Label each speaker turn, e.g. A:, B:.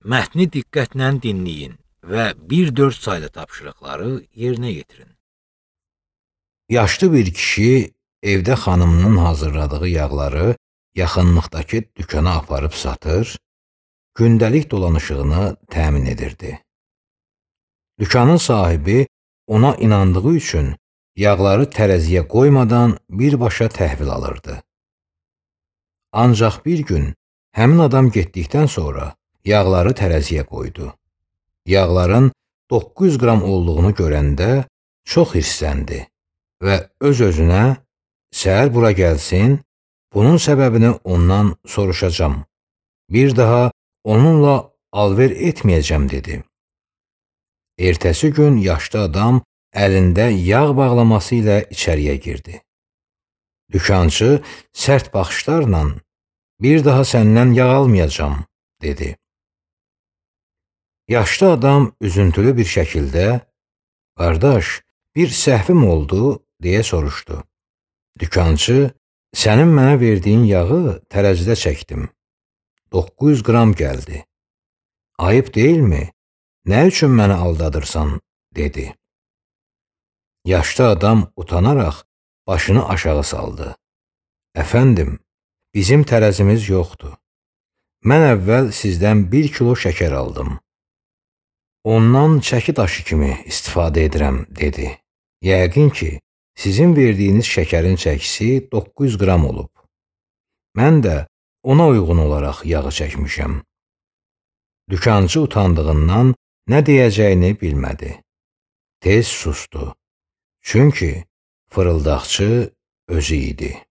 A: Mətni diqqətlə dinləyin və 1-4 saylı tapşırıqları yerinə yetirin. Yaşlı bir kişi evdə xanımının hazırladığı yağları yaxınlıqdakı dükana aparıb satır, gündəlik dolanışığını təmin edirdi. Dükanın sahibi ona inandığı üçün yağları tərəziyə qoymadan birbaşa təhvil alırdı. Ancaq bir gün həmin adam getdikdən sonra yağları tərəziyə qoydu. Yağların 900 qram olduğunu görəndə çox hirsləndi və öz-özünə səhər bura gəlsin, bunun səbəbini ondan soruşacam. Bir daha onunla alver etməyəcəm dedi. Ertəsi gün yaşlı adam əlində yağ bağlaması ilə içəriyə girdi. Dükançı sərt baxışlarla bir daha səndən yağ almayacam dedi. Yaşlı adam üzüntülü bir şəkildə qardaş, bir səhvim oldu deyə soruşdu. Dükançı, sənin mənə verdiyin yağı tərəzidə çəkdim. 900 qram gəldi. Ayıb deyilmi? Nə üçün məni aldadırsan? Dedi. Yaşlı adam utanaraq başını aşağı saldı. Əfəndim, bizim tərəzimiz yoxdur. Mən əvvəl sizdən 1 kilo şəkər aldım. Ondan çəki daşı kimi istifadə edirəm, dedi. Yəqin ki, sizin verdiyiniz şəkərin çəkisi 900 qram olub. Mən də ona uyğun olaraq yağı çəkmişəm. Dükançı utandığından nə deyəcəyini bilmədi. Tez sustu. Çünki fırıldaqçı özü idi.